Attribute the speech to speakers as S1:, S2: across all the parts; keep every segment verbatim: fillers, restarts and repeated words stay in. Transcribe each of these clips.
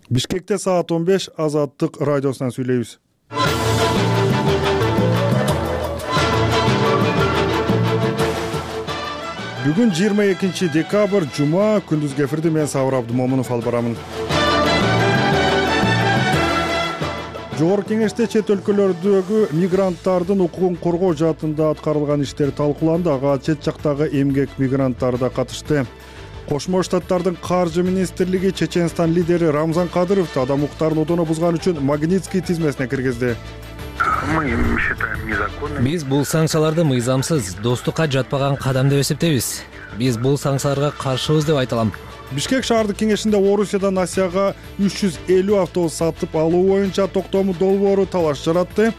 S1: Бишкекте саат он беш Азаттык радиосунан сүйлөйбүз. Бүгүн жыйырма экинчи декабрь жума, күндүзгү эфирди мен Сабыр Абдымомунов алып барамын. Жогорку Кеңеште чет өлкөлөрдөгү мигранттардын укугун коргоо жаатында аткарылган иштер талкууланды. Ага чет жактагы эмгек мигранттары да катышты. Кошмо Штаттардын каржы министрлиги Чеченстан лидери Рамзан Кадыровду адам укуктарын одоно бузган үчүн Магнитский тизмесине киргизди.
S2: Мы считаем незаконным.
S3: Биз бул санкцияларды мыйзамсыз, достукка жатпаган кадам деп эсептейбиз. Биз бул санкцияларга каршыбыз деп айта алам.
S1: Бишкек шаардык кеңешинде Орусиядан Асияга үч жүз элүү автобус сатып алуу боюнча токтому долбоору талаш жаратты.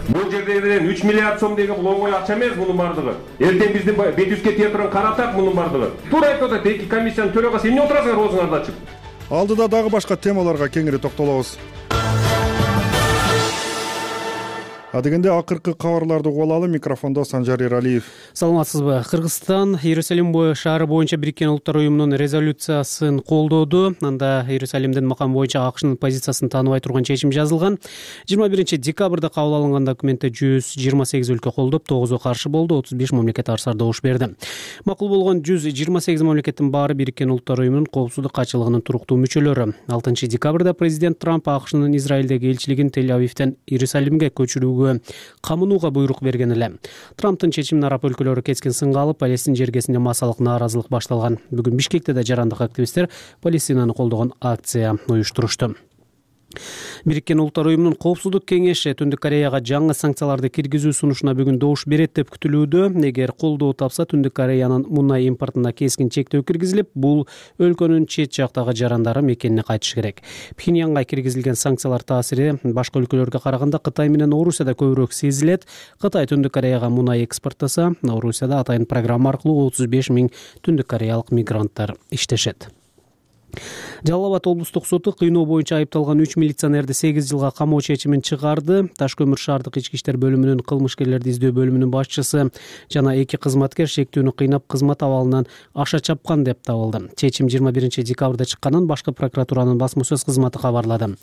S4: Бул жерде менен үч миллиард сом деген бул оңой акча эмес мунун бардыгы. Эртең биздин бет жүзгө тие турган каратак мунун бардыгы. Туура айтып атат, эки комиссиянын төрагасы эмне отурасыңар оозуңарды ачып?
S1: Алдыда дагы башка темаларга кеңири токтолобуз. Адегенде акыркы кабарларды угуп алалы. Микрофондо Санжар Эралиев.
S5: Саламатсызбы? Кыргызстан Иерусалим шаары боюнча Бириккен Улуттар уюмунун резолюциясын колдоду. Анда Иерусалимдин макамы боюнча АКШнын позициясын тааныбай турган чечим жазылган. жыйырма биринчи декабрда кабыл алынган документте жүз жыйырма сегиз өлкө колдоп, тогузу каршы болду, отуз беш мамлекет арсар добуш берди. Макул болгон жүз жыйырма сегиз мамлекеттин баары Бириккен Улуттар уюмунун коопсуздук катчылыгынын туруктуу мүчөлөрү. алтынчы декабрда президент Трамп АКШнын Израилдеги элчилигин Тель-Авивден Иерусалимге көчүрүүгө камынууга буйрук берген эле. Трамптын чечимине араб өлкөлөрү кескин сынга алып, Палестин жергесинде массалык нааразылык башталган. Бүгүн Бишкекте да жарандык активисттер Палестинаны колдогон акция уюштурушту. Бириккен Улуттар уюмунун коопсуздук кеңеши Түндүк Кореяга жаңы санкцияларды киргизүү сунушуна бүгүн добуш берет деп күтүлүүдө. Эгер колдоо тапса, Түндүк Кореянын мунай импортуна кескин чектөө киргизилип, бул өлкөнүн чет жактагы жарандары мекенине кайтыш керек. Пхеньянга киргизилген санкциялар таасири башка өлкөлөргө караганда Кытай менен Орусияда көбүрөөк сезилет. Кытай Түндүк Кореяга мунай экспорттаса, Орусияда атайын программа аркылуу отуз беш миң түндүк кореялык мигранттар иштешет. Жалал Абад облустук соту кыйноо боюнча айыпталган үч милиционерди сегиз жылга камоо чечимин чыгарды. Таш көмүр шаардык ички иштер бөлүмүнүн кылмышкерлерди издөө бөлүмүнүн башчысы жана эки кызматкер шектүүнү кыйнап кызмат абалынан аша чапкан деп табылды. Чечим жыйырма биринчи декабрда чыкканын башкы прокуратуранын басма сөз кызматы кабарлады.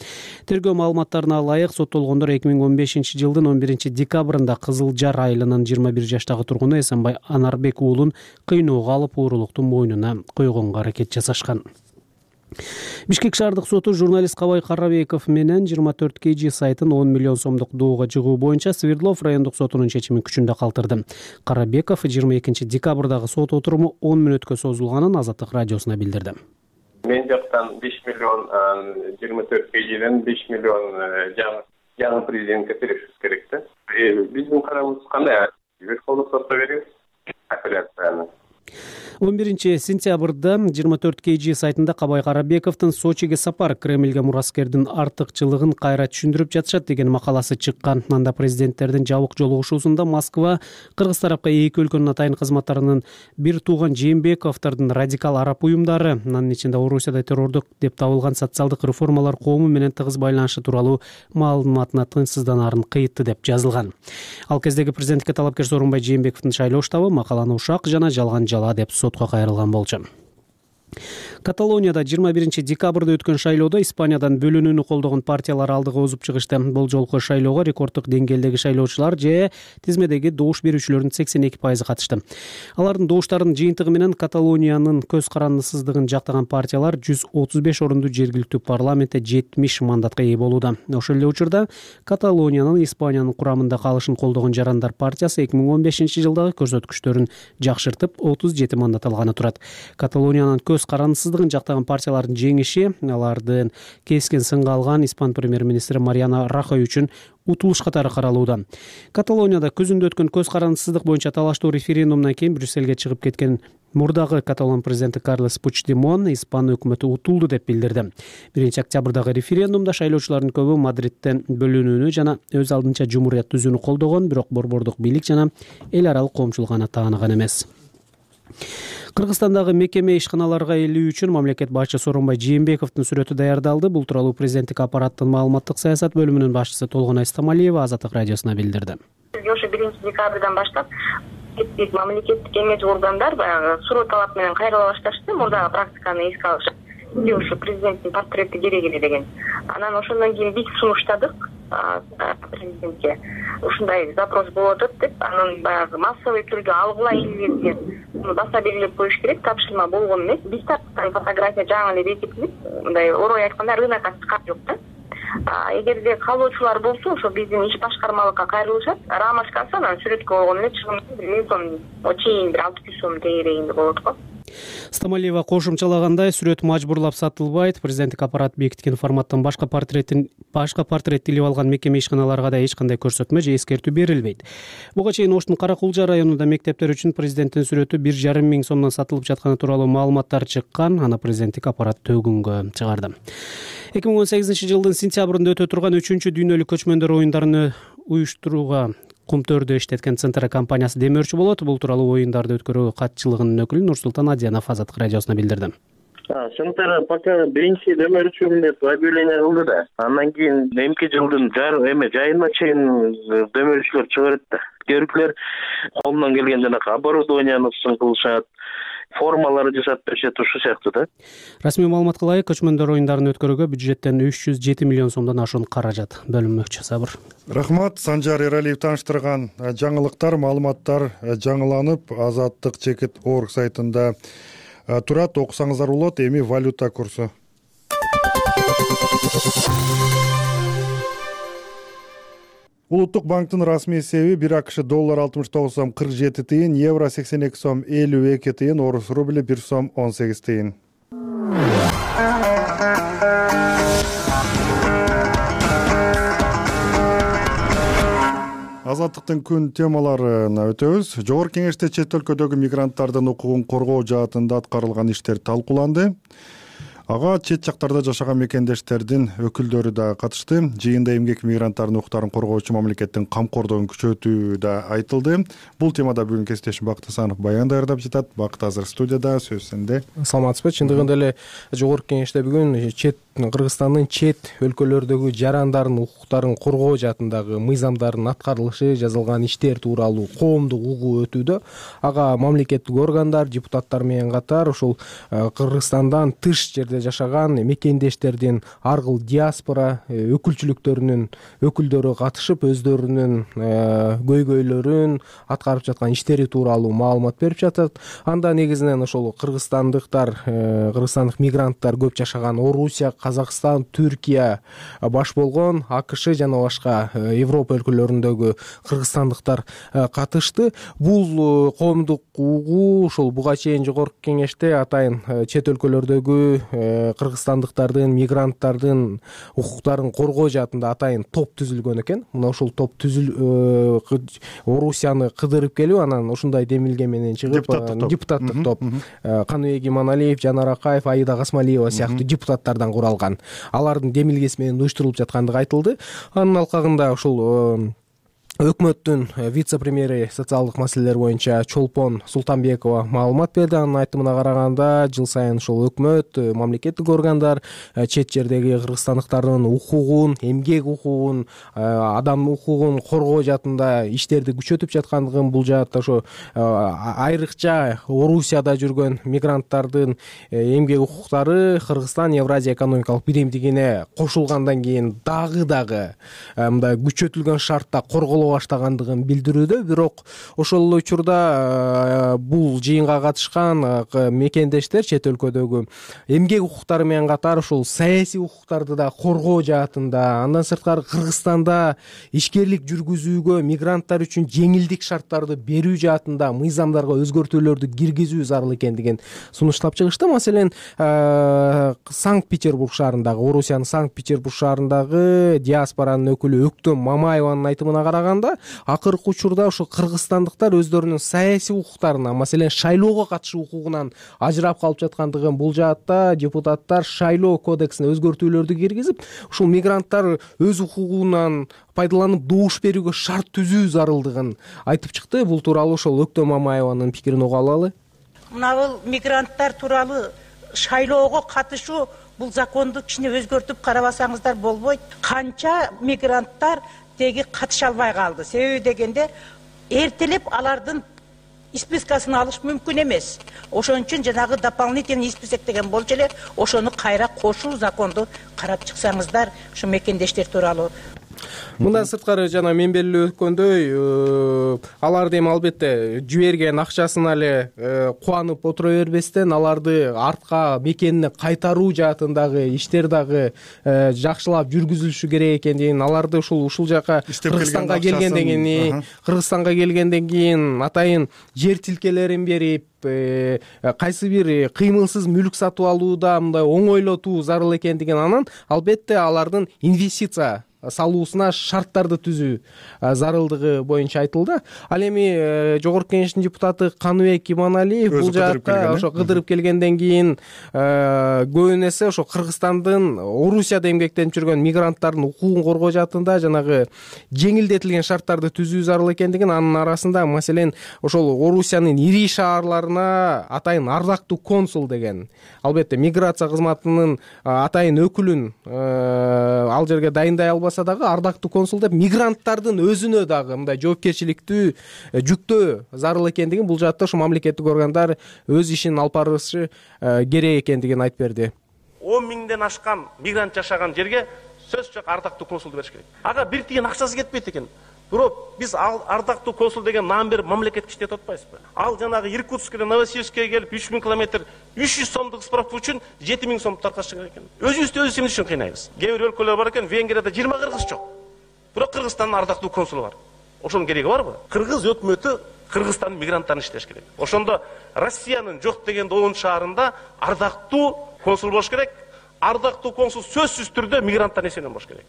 S5: Тергөө маалыматтарына ылайык, соттолгондор эки миң он бешинчи жылдын он биринчи декабрында Кызыл Жар айылынын жыйырма бир жаштагы тургуну Эсенбай Анарбек уулун кыйноого алып, уурулуктун мойнуна койгонго аракет жасашкан. Бишкек шаардык соту журналист Кабай Карабеков менен жыйырма төрт кей жи сайтын он миллион сомдук доого жыгуу боюнча Свердлов райондук сотунун чечимин күчүндө калтырды. Карабеков жыйырма экинчи декабрдагы сот отуруму он мүнөткө созулганын Азаттык радиосуна билдирди.
S6: Мен жактан беш миллион, жыйырма төрт кей жиден беш миллион жаңы президентке беришибиз керек да. Биздин карарыбыз кандай? Верховный сотто беребиз апелляцияны.
S5: он биринчи сентябрда жыйырма төрт кей жи сайтында Кабай Карабековдун Сочиге сапар Кремльге мураскердин артыкчылыгын кайра түшүндүрүп жатышат деген макаласы чыккан. Анда президенттердин жабык жолугушуусунда Москва кыргыз тарапка эки өлкөнүн атайын кызматтарынын бир тууган Жээнбековдордун радикал араб уюмдары, анын ичинде Орусияда террордук деп табылган социалдык реформалар коому менен тыгыз байланышы тууралуу маалыматына тынчсызданаарын кыйытты деп жазылган. Ал кездеги президентке талапкер Сооронбай Жээнбековдун шайлоо штабы макаланы ушак жана жалган жала деп сотко кайрылган болчу. Каталонияда жыйырма биринчи декабрда өткөн шайлоодо Испаниядан бөлүнүүнү колдогон партиялар алдыга озуп чыгышты. Бул жолку шайлоого рекорддук деңгээлдеги шайлоочулар же тизмедеги добуш берүүчүлөрдүн сексен эки пайызы катышты. Алардын добуштарынын жыйынтыгы менен Каталониянын көз карандысыздыгын жактаган партиялар жүз отуз беш орунду жергиликтүү парламентте жетимиш мандатка ээ болууда. Ошол эле учурда Каталониянын Испаниянын курамында калышын колдогон Жарандар партиясы эки миң он бешинчи жылдагы көрсөткүчтөрүн жакшыртып отуз жети мандат алганы турат. Каталониянын көз карандысыз жактаган партиялардын жеңиши алардын кескен сынга алган испан премьер-министри Мариано Рахой үчүн утулуш катары каралууда. Каталонияда күзүндө өткөн көз карандысыздык боюнча талаштуу референдумдан кийин Брюссельге чыгып кеткен мурдагы Каталон президенти Карлес Пучдемон Испан өкмөтү утулду деп билдирди. биринчи октябрдагы референдумда шайлоочулардын көбү Мадридтен бөлүнүүнү жана өз алдынча жумурият түзүүнү колдогон, бирок борбордук бийлик жана эл аралык коомчулук аны тааныган эмес. Кыргызстандагы мекеме ишканаларга элүү үчүн мамлекет башчысы Сооронбай Жээнбековдун сүрөтү даярдалды. Бул тууралуу президенттик аппараттын маалыматтык саясат бөлүмүнүн башчысы Толгонай Стамалиева Азаттык радиосуна билдирди.
S7: Ошо биринчи декабрдан баштап мамлекеттик эмес органдар баягы суроо талап менен кайрыла башташты. Мурдагы практиканы эске алышып, сизге ушу президенттин портрети керек эле деген. Анан ошондон кийин биз сунуштадык президентке. Ушундай запрос болуп атат деп, анан баягы массовый түрдө алгыла элибизге баса белгилеп коюш керек, тапшырма болгон эмес. Биз тарткан фотография жаңы эле бекитилип, мындай орой айтканда рынокко чыккан жок да. Эгерде каалоочулар болсо, ошо биздин иш башкармалыкка кайрылышат, рамочкасы анан сүрөткө болгон эле чыгым бир миң сом чейин бир алты жүз сом тегерегинде болот го.
S5: Стамалиева кошумчалагандай, сүрөт мажбурлап сатылбайт. Президенттик аппарат бекиткен форматтан башка портреттин башка портрет тилип алган мекеме ишканаларга да эч кандай көрсөтмө же эскертүү берилбейт. Буга чейин Оштун Кара-Кулжа районунда мектептер үчүн президенттин сүрөтү бир жарым миң сомдон сатылып жатканы тууралуу маалыматтар чыккан. Аны президенттик аппарат төгүнгө чыгарды. эки миң он сегизинчи жылдын сентябрында өтө турган үчүнчү дүйнөлүк көчмөндөр оюндарын уюштурууга Кумтөрдө иштеткен Центра компаниясы демөөрчү болот. Бул тууралуу оюндарды өткөрүү катчылыгынын өкүлү Нурсултан Адиянов Азаттык радиосуна билдирди.
S6: Центр пока биринчи демөөрчүмүн деп объявление кылды да. Андан кийин эмки жылдын эме жайына чейин демөөрчүлөр чыга берет да. Көрүклөр колунан келген жанакы оборудованияны кылышат, формаларды жасап беришет, ушул сыяктуу да.
S5: Расмий маалыматка ылайык, көчмөндөр оюндарын өткөрүүгө бюджеттен үч жүз жети миллион сомдон ашуун каражат бөлүнмөкчү. Сабыр.
S1: Рахмат. Санжар Эралиев тааныштырган жаңылыктар, маалыматтар жаңыланып азаттык чекит точка орг сайтында турат. Окусаңыздар болот. Эми валюта курсу. Улуттук банктын расмий эсеби бир АКШ доллар алтымыш тогуз сом кырк жети тыйын, евро сексен эки сом элүү эки тыйын, орус рубли бир сом он сегиз тыйын. Азаттыктын күн темаларына өтөбүз. Жогорку Кеңеште чет өлкөдөгү мигранттардын укугун коргоо жаатында аткарылган иштер талкууланды. Ага чет жактарда жашаган мекендештердин өкүлдөрү да катышты. Жыйында эмгек мигранттардын укуктарын коргоочу мамлекеттин камкордугун күчөтүү да айтылды. Бул темада бүгүн кесиптешим Бакыт Асанов баян даярдап жатат. Бакыт азыр студияда, сөз сенде.
S8: Саламатсызбы? Чындыгында эле Жогорку Кеңеште бүгүн чет Кыргызстандын чет өлкөлөрдөгү жарандардын укуктарын коргоо жаатындагы мыйзамдардын аткарылышы, жазылган иштер тууралуу коомдук угуу өтүүдө. Ага мамлекеттик органдар, депутаттар менен катар ушул Кыргызстандан тыш жерде жашаган мекендештердин аргыл диаспора өкүлчүлүктөрүнүн өкүлдөрү катышып, өздөрүнүн көйгөйлөрүн, аткарып жаткан иштери тууралуу маалымат берип жатат. Анда негизинен ошол кыргызстандыктар, кыргызстандык мигранттар көп жашаган Орусия, Казакстан, Түркия баш болгон, АКШ жана башка Европа өлкөлөрүндөгү кыргызстандыктар катышты. Бул коомдук угуу ошол буга чейин Жогорку Кеңеште атайын чет өлкөлөрдөгү кыргызстандыктардын, мигранттардын укуктарын коргоо жаатында атайын топ түзүлгөн экен. Мына ушул топ түзүл Орусияны кыдырып келип, анан ушундай демилге менен чыгып, депутаттык топ Каныбек Иманалиев, Жанар Акаев, Аида Гасмалиева сыяктуу депутаттардан куралган. Алардын демилгеси менен уюштурулуп жаткандыгы айтылды. Анын алкагында ушул өкмөттүн вице-премьери социалдык маселелер боюнча Чолпон Султанбекова маалымат берди. Анын айтымына караганда, жыл сайын ушул өкмөт, мамлекеттик органдар чет жердеги кыргызстандыктардын укугун, эмгек укугун, адамдын укугун коргоо жаатында иштерди күчөтүп жаткандыгын, бул жаатта ошо айрыкча Орусияда жүргөн мигранттардын эмгек укуктары Кыргызстан Евразия экономикалык биримдигине кошулгандан кийин дагы дагы мындай күчөтүлгөн шартта корголо баштагандыгын билдирүүдө. Бирок ошол эле учурда бул жыйынга катышкан мекендештер чет өлкөдөгү эмгек укуктары менен катар ушул саясий укуктарды да коргоо жаатында, андан сырткары Кыргызстанда ишкерлик жүргүзүүгө мигранттар үчүн жеңилдик шарттарды берүү жаатында мыйзамдарга өзгөртүүлөрдү киргизүү зарыл экендигин сунуштап чыгышты. Маселен, Санкт-Петербург шаарындагы, Орусиянын Санкт-Петербург шаарындагы диаспоранын өкүлү Өктөм Мамаеванын айтымына караганда, акыркы учурда ошо кыргызстандыктар өздөрүнүн саясий укуктарына, маселен шайлоого катышуу укугунан ажырап калып жаткандыгын, бул жаатта депутаттар шайлоо кодексине өзгөртүүлөрдү киргизип, ушул мигранттар өз укугунан пайдаланып добуш берүүгө шарт түзүү зарылдыгын айтып чыкты. Бул тууралуу ошол Өктөм Мамаеванын пикирин уга алалы.
S9: Мына бул мигранттар тууралуу шайлоого катышуу, бул законду кичине өзгөртүп карабасаңыздар болбойт. Канча мигранттар теги катыша албай калды. Себеби дегенде эртелеп алардын спискасын алыш мүмкүн эмес. Ошон үчүн жанагы дополнительный список деген болчу эле, ошону кайра кошуу законду карап чыксаңыздар, ушу мекендештер тууралуу.
S8: Мындан сырткары жана мен белгилеп өткөндөй, аларды эми албетте жиберген акчасына эле кубанып отура бербестен, аларды артка мекенине кайтаруу жаатындагы иштер дагы жакшылап жүргүзүлүшү керек экендигин, аларды ушул ушул жака Кыргызстанга келгенден кийин, Кыргызстанга келгенден кийин атайын жер тилкелерин берип, кайсы бир кыймылсыз мүлк сатып алууда мындай оңойлотуу зарыл экендигин, анан албетте алардын инвестиция салуусуна шарттарды түзүү зарылдыгы боюнча айтылды. Ал эми Жогорку Кеңештин депутаты Каныбек Иманалиев бул жакка ошо кыдырып келгенден кийин көбүн эсе ошо Кыргызстандын Орусияда эмгектенип жүргөн мигранттардын укугун коргоо жаатында жанагы жеңилдетилген шарттарды түзүү зарыл экендигин, анын арасында маселен ошол Орусиянын ири шаарларына атайын ардактуу консул деген, албетте миграция кызматынын атайын өкүлүн ал жерге дайындай албаса дагы ардактуу консул деп мигранттардын өзүнө дагы мындай жоопкерчиликтүү жүктөө зарыл экендигин, бул жаатта ушу мамлекеттик органдар өз ишин алып барышы керек экендигин айтып берди.
S10: он миңден ашкан мигрант жашаган жерге сөзсүз жок ардактуу консулду бериш керек. Ага бир тиен акчасы кетпейт экен. Бирок биз ардактуу консул деген наам берип мамлекетке иштетип атпайбызбы? Ал жанагы Иркутскеден Новосибирскке келип үч миң километр үч жүз сомдук справка үчүн жети миң сом таркаш керек экен. Өзүбүздү өзүбүз эмне үчүн кыйнайбыз? Кээ бир өлкөлөр бар экен, Венгрияда жыйырма кыргыз жок. Бирок Кыргызстандын ардактуу консулу бар. Ошонун кереги барбы? Кыргыз өкмөтү Кыргызстандын мигранттарын иштеш керек. Ошондо Россиянын жок дегенде он шаарында ардактуу консул болуш керек. Ардактуу консул сөзсүз түрдө мигранттар эсебинен болуш керек.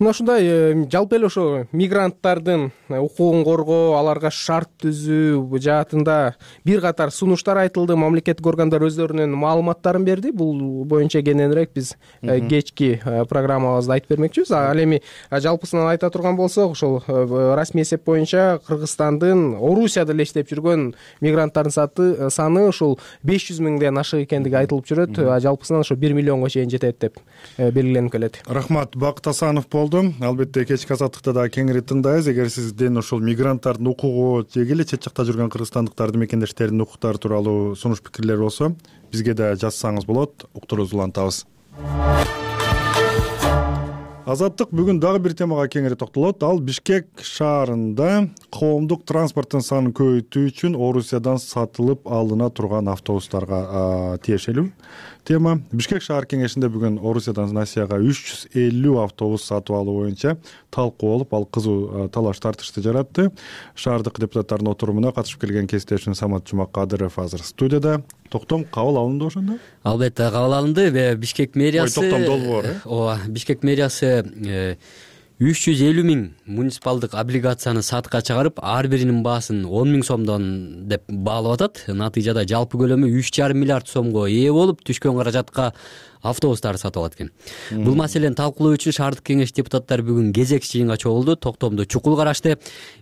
S8: Мына ушундай жалпы эле ошо мигранттардын укугун коргоо, аларга шарт түзүү жаатында бир катар сунуштар айтылды. Мамлекеттик органдар өздөрүнүн маалыматтарын берди. Бул боюнча кененирээк биз кечки программабызда айтып бермекчибиз. Ал эми жалпысынан айта турган болсок, ошол расмий эсеп боюнча Кыргызстандын Орусияда эле иштеп жүргөн мигранттардын саны ушул беш жүз миңден ашык экендиги айтылып жүрөт. Жалпысынан ошо бир миллионго чейин жетет деп белгиленип келет.
S1: Рахмат, Бакыт Асанов болду. Албетте кечки азаттыкта да кеңири тыңдайбыз. Эгер сизден ушул мигранттардын укугу же эле чет жакта жүргөн кыргызстандыктардын мекендештеринин укуктары тууралуу сунуш пикирлер болсо, бизге да жазсаңыз болот. Уктуруубузду улантабыз. Азаттык бүгүн дагы бир темага кеңири токтолот. Ал Бишкек шаарында коомдук транспорттун санын көбөйтүү үчүн Орусиядан сатылып алына турган автобустарга тиешелүү тема. Бишкек шаар кеңешинде бүгүн Орусиядан Россияга үч жүз элүү автобус сатып алуу боюнча талкуу болуп, ал кызуу талаш тартышты жаратты. Шаардык депутаттардын отурумуна катышып келген кесиптешим Самат Жумакадыров азыр студияда. Токтом кабыл алынды ошондо?
S11: Албетте кабыл алынды. Бишкек мэриясы
S1: Ой, токтом долбоор, э?
S11: Ооба, Бишкек мэриясы үч жүз элүү миң муниципалдык облигацияны сатка чыгарып, ар биринин баасын он миң сомдон деп баалап атат. Натыйжада жалпы көлөмү үч жарым миллиард сомго ээ болуп, түшкөн каражатка автобустарды сатып алат экен. Бул маселени талкуулоо үчүн шаардык кеңеш депутаттары бүгүн кезек жыйынга чогулду. Токтомду чукул карашты.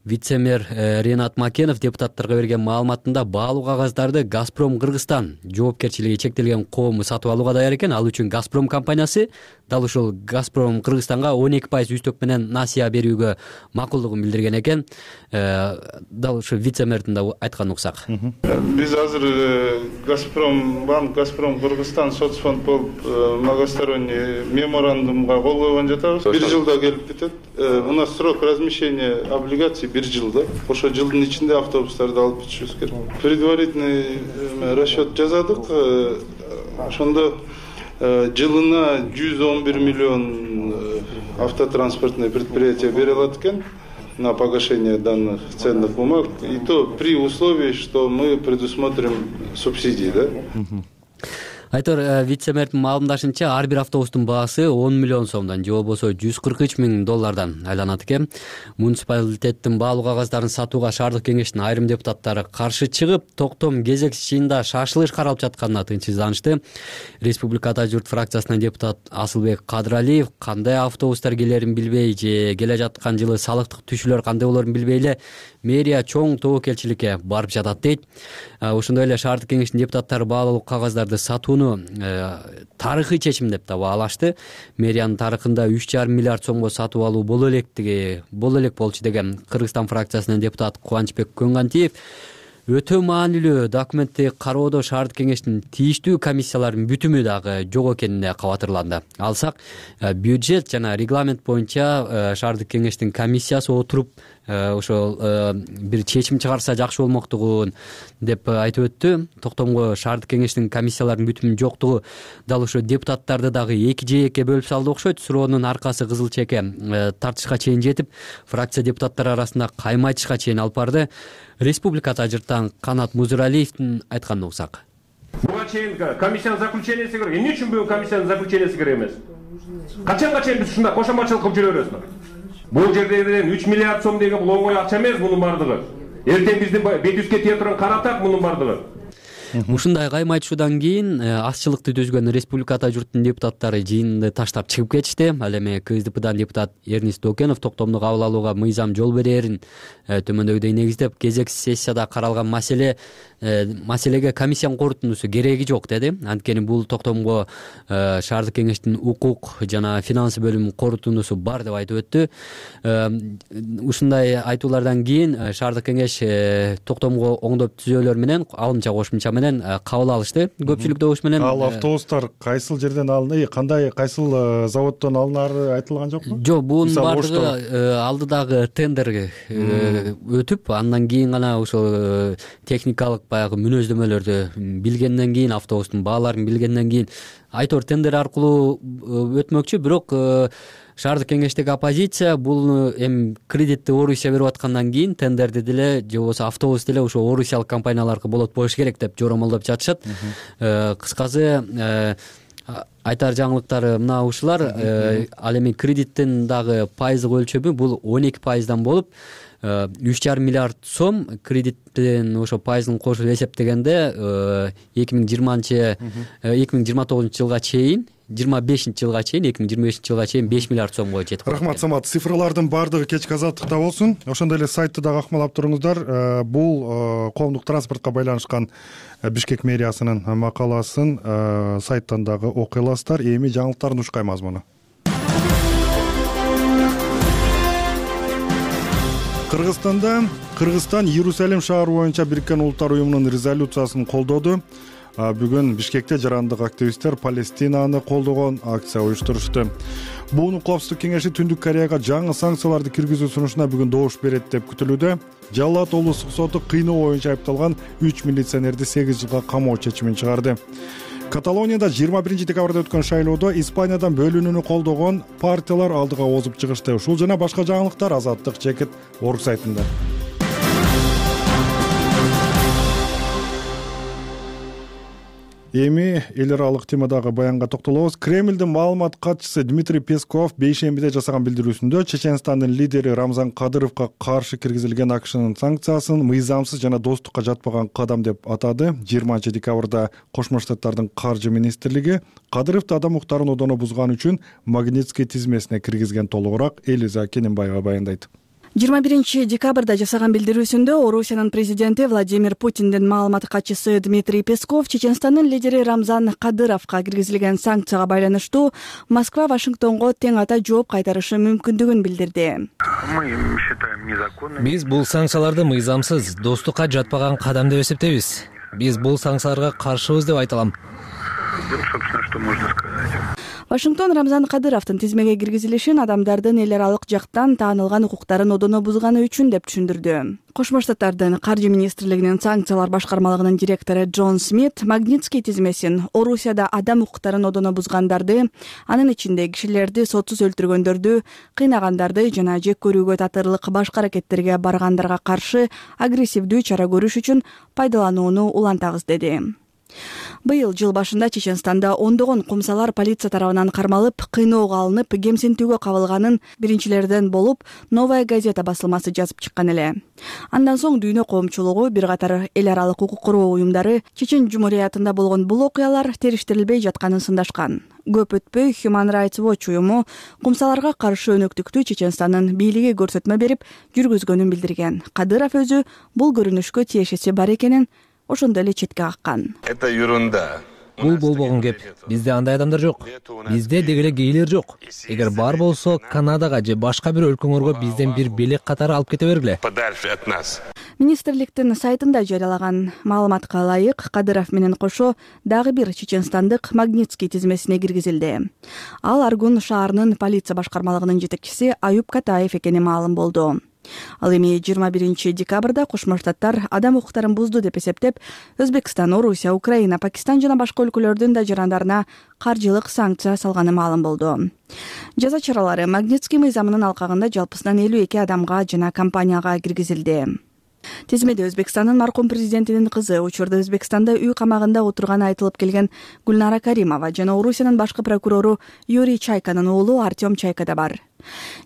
S11: Вице-мэр Ренат Макенов депутаттарга берген маалыматында баалуу кагаздарды Газпром Кыргызстан жоопкерчилиги чектелген коому сатып алууга даяр экен. Ал үчүн Газпром компаниясы дал ушул Газпром Кыргызстанга он эки пайыз үстөк менен насыя берүүгө макулдугун билдирген экен. Дал ушу вице-мэрдин да айтканын уксак.
S12: Биз азыр Газпром банк, Газпром Кыргызстан соцфонд болуп многосторонний меморандумга кол койгон жатабыз. Бир жылда келип кетет. У нас срок размещения облигаций бир жылда. Ошо жылдын ичинде автобустарды алып бүтүшүбүз керек. Предварительный расчет жазадык. Ошондо жылына жүз он бир миллион автотранспортный предприятие бере алат экен на погашение данных ценных бумаг. И то при условии, что мы предусмотрим субсидии, да?
S11: Айтор вице-мэрдин маалымдашынча, ар бир автобустун баасы он миллион сомдон же болбосо жүз кырк үч миң доллардан айланат экен. Муниципалитеттин баалуу кагаздарын сатууга шаардык кеңештин айрым депутаттары каршы чыгып, Токтом кезек жыйында шашылыш каралып жатканына тынчсызданышты. Республика Ата журт фракциясынын депутат Асылбек Кадыралиев кандай автобустар келерин билбей же келе жаткан жылы салыктык түшүүлөр кандай болорун билбей эле мэрия чоң тобокелчиликке барып жатат дейт. Ошондой эле шаардык кеңештин депутаттары баалуу кагаздарды сатууну тарыхый чечим деп да баалашты. Мэриянын тарыхында үч жарым миллиард сомго сатып алуу боло электиги, боло элек болчу деген Кыргызстан фракциясынын депутаты Кубанычбек Көнгантиев өтө маанилүү документти кароодо шаардык кеңештин тийиштүү комиссияларынын бүтүмү дагы жок экенине кабатырланды. Алсак, бюджет жана регламент боюнча шаардык кеңештин комиссиясы отуруп ошол бир чечим чыгарса жакшы болмоктугун деп айтып өттү. Токтомго шаардык кеңештин комиссияларынын бүтүмүнүн жоктугу дал ошо депутаттарды дагы эки жээкке бөлүп салды окшойт. Суроонун аркасы кызыл чеке тартышка чейин жетип, фракция депутаттары арасында кайма айтышка чейин алып барды. Республика тажыртан Канат Музуралиевдин айтканын угсак.
S4: Буга чейин комиссиянын заключенияси керек. Эмне үчүн бүгүн комиссиянын заключенияси керек эмес? Качанга чейин биз ушундай кошоматчылык кылып жүрө беребизби? Бул жерде менен үч миллиард сом деген бул оңой акча эмес мунун бардыгы. Эртең биздин бет жүзгө тие турган каратак мунун бардыгы.
S11: Ушундай кайма айтышуудан кийин азчылыкты түзгөн республикада журттун депутаттары жыйынды таштап чыгып кетишти. Ал эми КСДПдан депутат Эрнист Докенов токтомду кабыл алууга мыйзам жол берерин төмөндөгүдөй негиздеп, кезексиз сессияда каралган маселе маселеге комиссиянын корутундусу кереги жок деди. Анткени бул токтомго шаардык кеңештин укук жана финансы бөлүмүнүн корутундусу бар деп айтып өттү. Ушундай айтуулардан кийин шаардык кеңеш токтомго оңдоп түзөөлөр менен алымча кошумча менен кабыл алышты. Көпчүлүк добуш менен.
S1: Ал автобустар кайсыл жерден алынды, кандай кайсыл заводдон алынары айтылган жокпу?
S11: Жок, бунун баардыгы алдыдагы тендер өтүп, андан кийин гана ошол техникалык баягы мүнөздөмөлөрдү билгенден кийин, автобустун бааларын билгенден кийин айтор тендер аркылуу өтмөкчү. Бирок шаардык кеңештеги оппозиция бул эми кредитти Орусия берип аткандан кийин тендерди деле же болбосо автобус деле ошо орусиялык компанияларга болот болуш керек деп жоромолдоп жатышат. Кыскасы айтар жаңылыктары мына ушулар. Ал эми кредиттин дагы пайыздык өлчөмү бул он эки пайыздан болуп, үч жарым миллиард сом кредиттин ошо пайызын кошуп эсептегенде эки миң жыйырманчы эки миң жыйырма тогузунчу жылга чейин, жыйырма бешинчи жылга чейин, эки миң жыйырма бешинчи жылга чейин беш миллиард сомго жетип калат.
S1: Рахмат, Самат. Цифрлардын баардыгы кечки азаттыкта болсун. Ошондой эле сайтты дагы акмалап туруңуздар. Бул коомдук транспортко байланышкан Бишкек мэриясынын макаласын сайттан дагы окуй аласыздар. Эми жаңылыктардын ушкай мазмуну. Кыргызстанда Кыргызстан Иерусалим шаары боюнча Бириккен Улуттар уюмунун резолюциясын колдоду. Бүгүн Бишкекте жарандык активисттер Палестинаны колдогон акция уюштурушту. Буунун Коопсуздук кеңеши Түндүк Кореяга жаңы санкцияларды киргизүү сунушуна бүгүн добуш берет деп күтүлүүдө. Жалал Абад облустук соту кыйноо боюнча айыпталган үч милиционерди сегиз жылга камоо чечимин чыгарды. Каталонияда жыйырма биринчи декабрда өткөн шайлоодо Испаниядан бөлүнүүнү колдогон партиялар алдыга озуп чыгышты. Ушул жана башка жаңылыктар Азаттык Чекит орг сайтында. Эми эл аралык темадагы баянга токтолобуз. Кремлдин маалымат катчысы Дмитрий Песков бейшембиде жасаган билдирүүсүндө Чеченстандын лидери Рамзан Кадыровго каршы киргизилген АКШнын санкциясын мыйзамсыз жана достукка жатпаган кадам деп атады. жыйырманчы декабрда Кошмо Штаттардын каржы министрлиги Кадыровду адам укуктарын одоно бузган үчүн Магнитский тизмесине киргизген. Толугураак Элиза Кененбаева баяндайт.
S13: жыйырма биринчи декабрда жасаган билдирүүсүндө Орусиянын президенти Владимир Путиндин маалымат катчысы Дмитрий Песков Чеченстандын лидери Рамзан Кадыровго киргизилген санкцияга байланыштуу Москва Вашингтонго тең ата жооп кайтарышы мүмкүндүгүн билдирди.
S3: Биз бул санкцияларды мыйзамсыз, достукка жатпаган кадам деп эсептейбиз. Биз бул санкцияларга каршыбыз деп айта алам.
S13: Вашингтон Рамзан Кадыровдун тизмеге киргизилишин адамдардын эл аралык жактан таанылган укуктарын одоно бузганы үчүн деп түшүндүрдү. Кошмо Штаттардын каржы министрлигинин санкциялар башкармалыгынын директору Джон Смит Магнитский тизмесин Орусияда адам укуктарын одоно бузгандарды, анын ичинде кишилерди сотсуз өлтүргөндөрдү, кыйнагандарды жана жек көрүүгө татырлык башка аракеттерге баргандарга каршы агрессивдүү чара көрүш үчүн пайдаланууну улантабыз деди. Быйыл жыл башында Чеченстанда ондогон кумсалар полиция тарабынан кармалып, кыйноого алынып, кемсинтүүгө кабылганын биринчилерден болуп Новая газета басылмасы жазып чыккан эле. Андан соң дүйнө коомчулугу, бир катар эл аралык укук коргоо уюмдары Чечен Жумуриятында болгон бул окуялар териштирилбей жатканын сындашкан. Көп өтпөй Human Rights Watch уюму кумсаларга каршы өнөктүктү Чеченстандын бийлиги көрсөтмө берип жүргүзгөнүн билдирген. Кадыров өзү бул көрүнүшкө тиешеси бар экенин ошондой эле четке каккан.
S14: Это ерунда.
S3: бул болбогон кеп. Бизде андай адамдар жок. Бизде деги эле гейлер жок. Эгер бар болсо Канадага же башка бир өлкөңөргө бизден бир белек катары алып кете бергиле.
S13: Министрликтин сайтында жарыялаган маалыматка ылайык, Кадыров менен кошо дагы бир чеченстандык Магнитский тизмесине киргизилди. Ал Аргун шаарынын полиция башкармалыгынын жетекчиси Аюп Катаев экени маалым болду. Ал эми жыйырма биринчи декабрда Кошмо Штаттар адам укуктарын бузду деп эсептеп, Өзбекстан, Орусия, Украина, Пакистан жана башка өлкөлөрдүн да жарандарына каржылык санкция салганы маалым болду. Жаза чаралары Магнитский мыйзамынын алкагында жалпысынан элүү эки адамга жана компанияга киргизилди. Тизмеде Өзбекстандын маркум президентинин кызы, учурда Өзбекстанда үй камагында отурганы айтылып келген Гүлнара Каримова жана Орусиянын башкы прокурору Юрий Чайканын уулу Артем Чайка да бар.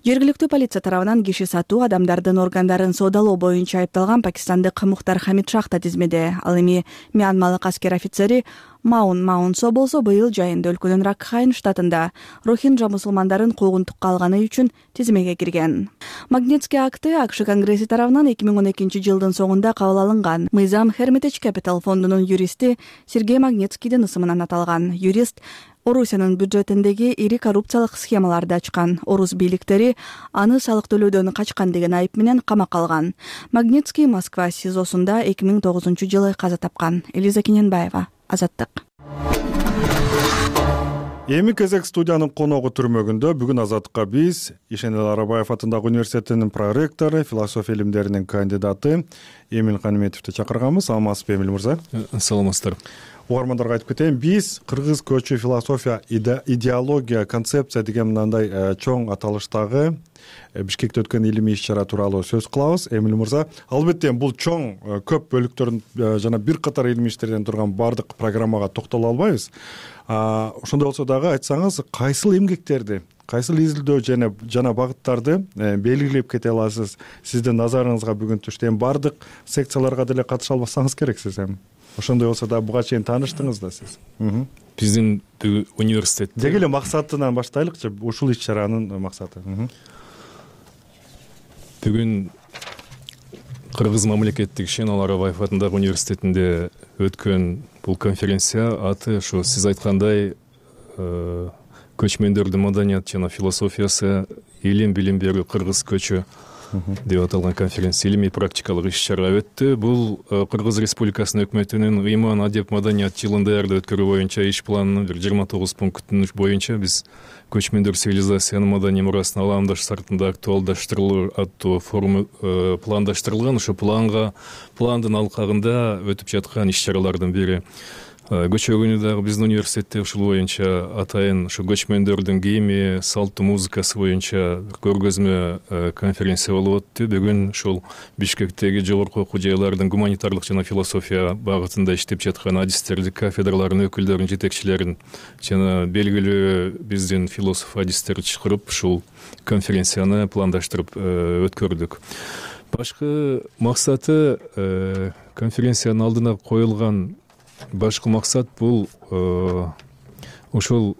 S13: Жергиликтүү полиция тарабынан киши сатуу, адамдардын органдарын соодалоо боюнча айыпталган пакистандык Мухтар Хамид Шах да тизмеде. Ал эми Мьянмалык аскер офицери Маун Маунсо болсо быйыл жайында өлкөнүн Ракхайн штатында рохинджа мусулмандарын куугунтукка алганы үчүн тизмеге кирген. Магнитский акты АКШ Конгресси тарабынан эки миң он экинчи жылдын соңунда кабыл алынган. Мыйзам Hermitage Capital фондунун юристи Сергей Магнитскийдин ысымынан аталган. Юрист Орусиянын бюджетиндеги ири коррупциялык схемаларды ачкан. Орус бийликтери аны салык төлөөдөн качкан деген айып менен камакка алган. Магнитский Москва СИЗОсунда эки миң тогузунчу жылы каза тапкан. Элиза Кененбаева, Азаттык.
S1: Эми кезек студиянын коногу түрмөгүндө. Бүгүн Азаттыкка биз Ишенел Арабаев атындагы университетинин проректору, философия илимдеринин кандидаты Эмил Каниметовду чакырганбыз. Саламатсызбы, Эмил мырза?
S14: Саламатсыздар.
S1: Угармандарга айтып кетейин, биз кыргыз көчү философия, идеология, концепция деген мындай чоң аталыштагы Бишкекте өткөн илимий иш-чара тууралуу сөз кылабыз. Эмил мырза, албетте бул чоң көп бөлүктөрдөн жана бир катар илимий иштерден турган бардык программага токтоло албайбыз. Ошондой болсо дагы айтсаңыз, кайсыл эмгектерди, кайсыл изилдөө жана жана багыттарды белгилеп кете аласыз? Сиздин назарыңызга бүгүн түштөн бардык секцияларга деле катыша албасаңыз керексиз эми. Ошондой болсо да буга чейин тааныштыңыз да сиз.
S14: Биздин университетте
S1: деги эле максатынан баштайлыкчы, ушул иш-чаранын максаты.
S14: Бүгүн Кыргыз мамлекеттик Ишенел Арабаев атындагы университетинде өткөн бул конференция аты ошо сиз айткандай көчмөндөрдүн маданият жана философиясы, илим билим берүү кыргыз көчү деп аталган конференция илимий практикалык иш-чара өттү. Бул Кыргыз Республикасынын өкмөтүнүн ыйман, адеп, маданият жылын даярдоо өткөрүү боюнча иш планынын бир жыйырма тогуз пунктунун боюнча биз көчмөндөр цивилизациянын маданий мурасын аламдаш сартында актуалдаштырылуу аттуу форум пландаштырылган. Ошо планга пландын алкагында өтүп жаткан иш-чаралардын бири. Көчөгүнү дагы биздин университетте ушул боюнча атайын ошо көчмөндөрдүн кийими, салттуу музыкасы боюнча көргөзмө конференция болуп өттү. Бүгүн ушул Бишкектеги жогорку окуу жайлардын гуманитарлык жана философия багытында иштеп жаткан адистерди, кафедралардын өкүлдөрүн, жетекчилерин жана белгилүү биздин философ адистерди чакырып ушул конференцияны пландаштырып өткөрдүк. Башкы максаты конференциянын алдына коюлган башкы максат бул ушул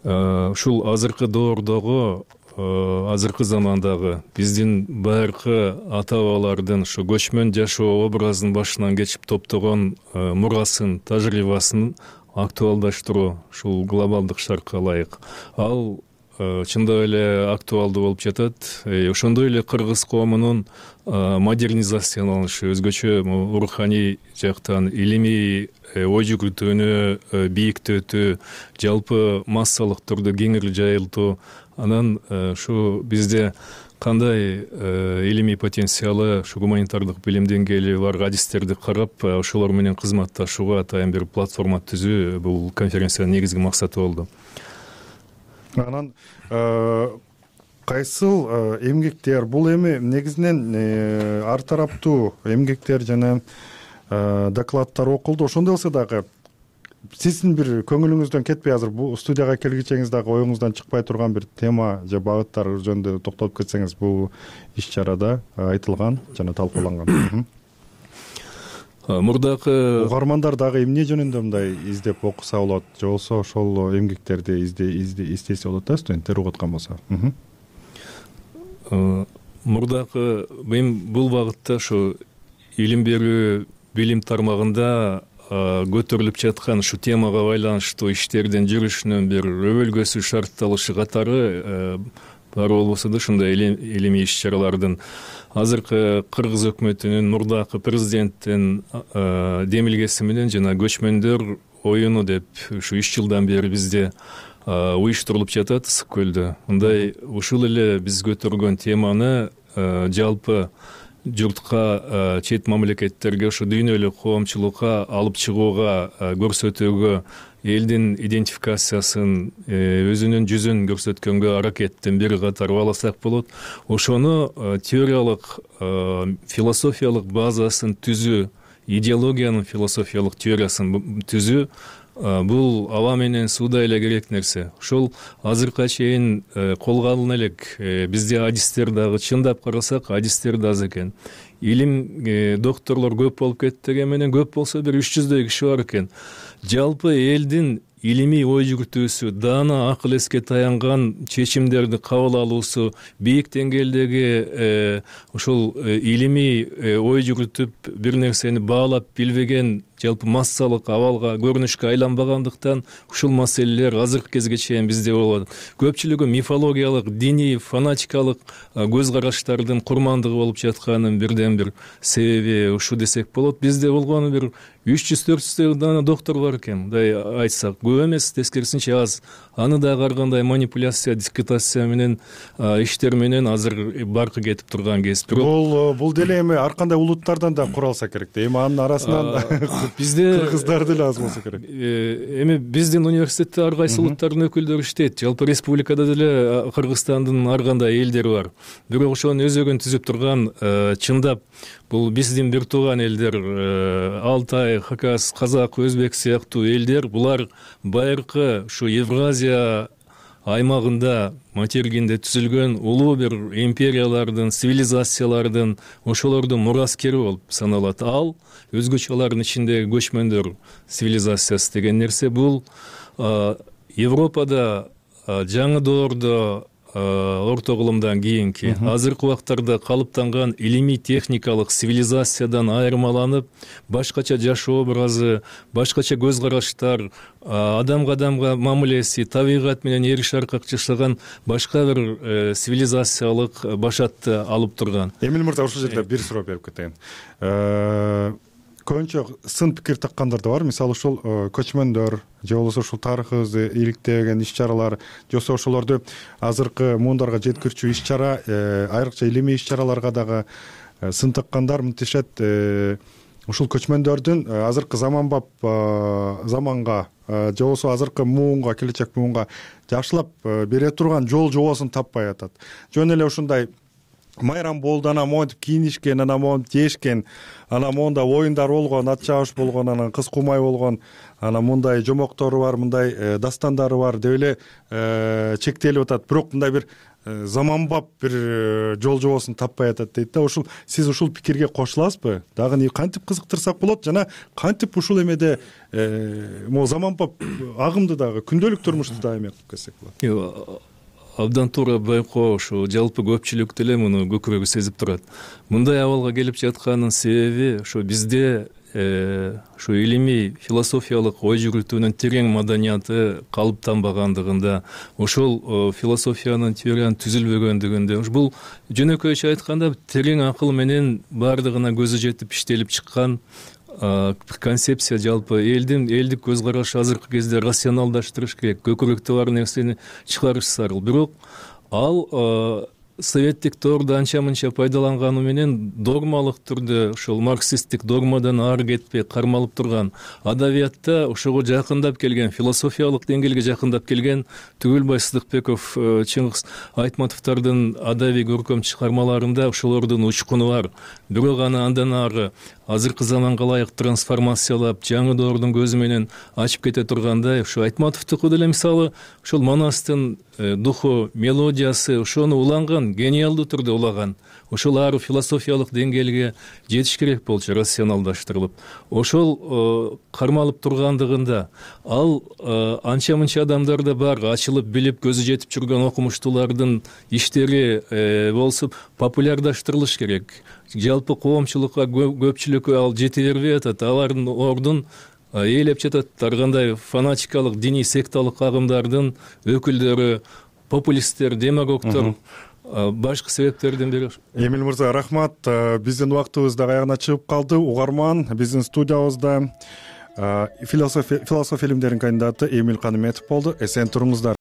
S14: ушул азыркы доордогу, азыркы замандагы биздин байыркы ата бабалардын ушу көчмөн жашоо образын башынан кечип топтогон мурасын, тажрыйбасын актуалдаштыруу ушул глобалдык шартка ылайык. Ал чындап эле актуалдуу болуп жатат. Ошондой эле кыргыз коомунун модернизацияланышы, өзгөчө руханий жактан илимий ой жүгүртүүнү бийиктетүү, жалпы массалык түрдө кеңири жайылтуу, анан ушу бизде кандай илимий потенциалы, ушу гуманитардык билим деңгээли бар адистерди карап, ошолор менен кызматташууга атайын бир платформа түзүү бул конференциянын негизги максаты болду.
S1: Анан кайсыл эмгектер бул эми негизинен ар тараптуу эмгектер жана докладдар окулду. Ошондой болсо дагы сиздин бир көңүлүңүздөн кетпей, азыр бул студияга келгичеңиз дагы оюңуздан чыкпай турган бир тема же багыттар жөнүндө токтолуп кетсеңиз, бул иш-чарада айтылган жана талкууланган.
S14: Мурдакы
S1: угармандар дагы эмне жөнүндө мындай издеп окуса болот, же болбосо ошол эмгектерди издесе болот да, студенттер угуп аткан болсо.
S14: Мурдакы мен бул багытта ошо илим берүү билим тармагында көтөрүлүп жаткан ушул темага байланыштуу иштердин жүрүшүнүн бир өбөлгөсү шартталышы катары бар болбосо да ушундай илимий иш чаралардын азыркы кыргыз өкмөтүнүн мурдакы президенттин демилгеси менен жана көчмөндөр оюну деп ушу үч жылдан бери бизде уюштурулуп жатат ысык көлдө. Мындай ушул эле биз көтөргөн теманы жалпы журтка, чет мамлекеттерге, ушу дүйнөлүк коомчулукка алып чыгууга, көрсөтүүгө, элдин идентификациясын, өзүнүн жүзүн көрсөткөнгө аракеттин бир катары алсак болот. Ошону теориялык, философиялык базасын түзүү, идеологиянын философиялык теориясын түзүү бул аба менен сууда эле керек нерсе. Ошол азыркыга чейин колго алына элек. Бизде адистер дагы чындап карасак, адистер да аз экен. Илим докторлор көп болуп кетти деген менен көп болсо бир үч жүздөй киши бар экен. Жалпы элдин илимий ой жүргүтүүсү, даана акыл эске таянган чечимдерди кабыл алуусу, бийик деңгээлдеги ошол илимий ой жүргүтүп бир нерсени баалап билбеген жалпы массалык абалга, көрүнүшкө айланбагандыктан ушул маселелер азыркы кезге чейин бизде болот. Көпчүлүгү мифологиялык, диний, фанатикалык көз караштардын курмандыгы болуп жатканын бирден бир себеби ушу десек болот. Бизде болгону бир үч жүз төрт жүздөй дана доктор бар экен, мындай айтсак. Көп эмес, тескерисинче аз. Аны дагы ар кандай манипуляция, дискретация менен иштер менен азыр баркы кетип турган кез.
S1: Бул бул деле эми ар кандай улуттардан да куралса керек да. Эми анын арасынан
S14: бизде
S1: кыргыздар деле аз болсо керек.
S14: Эми биздин университетте ар кайсы улуттардын өкүлдөрү иштейт. Жалпы республикада деле Кыргызстандын ар кандай элдери бар. Бирок ошонун өзөгүн түзүп турган чындап бул биздин бир тууган элдер, Алтай, Хакас, Казак, Өзбек сыяктуу элдер, булар байыркы ушу Евразия аймагында, материгинде түзүлгөн улуу бир империялардын, цивилизациялардын, ошолордун мураскери болуп саналат. Ал өзгөчө алардын ичиндеги көчмөндөр цивилизациясы деген нерсе бул Европада жаңы доордо орто кылымдан кийинки азыркы убактарда калыптанган илимий техникалык цивилизациядан айырмаланып, башкача жашоо образы, башкача көз караштар, адамга адамга мамилеси, табигат менен эри шаркак жашаган башка бир цивилизациялык башатты алып турган.
S1: Эмил мырза, ушул жерде бир суроо берип кетейин. Көбүнчө сын пикир таккандар да бар. Мисалы ушул көчмөндөр же болбосо ушул тарыхыбызды иликтеген иш чаралар, же ошолорду азыркы муундарга жеткирчү иш чара, айрыкча илимий иш чараларга дагы сын таккандар мынтишет. Ушул көчмөндөрдүн азыркы заманбап заманга же болбосо азыркы муунга, келечек муунга жакшылап бере турган жол жобосун таппай атат. Жөн эле ушундай майрам болду, анан монтип кийинишкен, анан монтип жешкен, анан монда оюндар болгон, ат чабыш болгон, анан кыз кумай болгон, анан мындай жомоктору бар, мындай дастандары бар деп эле чектелип атат. Бирок мындай бир заманбап бир жол жобосун таппай атат дейт да. Ушул сиз ушул пикирге кошуласызбы? Дагы кантип кызыктырсак болот жана кантип ушул эмеде могу заманбап агымды дагы күндөлүк турмушту дагы эме кылып кетсек болот?
S14: Абдан туура байкоо, ушу жалпы көпчүлүк деле муну көкүрөгү сезип турат. Мындай абалга келип жатканын себеби ушу бизде ушу илимий философиялык ой жүргүтүүнүн терең маданияты калыптанбагандыгында, ошол философиянын теориянын түзүлбөгөндүгүндө, бул жөнөкөйчө айтканда терең акыл менен баардыгына көзү жетип иштелип чыккан концепция. Жалпы элдин элдик көз карашы азыркы кезде рационалдаштырыш керек, көкүрөктө бар нерсени чыгарыш зарыл. Бирок ал советтик доордо анча мынча пайдаланганы менен догмалык түрдө ошол марксисттик догмадан ары кетпей кармалып турган, адабиятта ошого жакындап келген, философиялык деңгээлге жакындап келген Түгүлбай Сыдыкбеков, Чыңгыз Айтматовдордун адабий көркөм чыгармаларында ошолордун учкуну бар. Бирок аны андан ары азыркы заманга ылайык трансформациялап, жаңы доордун көзү менен ачып кете тургандай, ушу Айтматовдуку деле мисалы ошол Манастын духу, мелодиясы ошону уланган, гениалдуу түрдө улаган. Ошол ары философиялык деңгээлге жетиш керек болчу, рационалдаштырылып. Ошол кармалып тургандыгында ал анча мынча адамдар да бар, ачылып билип көзү жетип жүргөн окумуштуулардын иштери болсуп популярдаштырылыш керек. Жалпы коомчулукка, көпчүлүккө ал жете бербей атат. Алардын ордун ээлеп жатат. Ар кандай фанатикалык диний секталык агымдардын өкүлдөрү, популисттер, демагогдор башка себептерден бери.
S1: Эмил мырза, рахмат. Биздин убактыбыз да аягына чыгып калды. Угарман, биздин студиябызда философия илимдеринин кандидаты Эмил Каныметов болду. Эсен туруңуздар.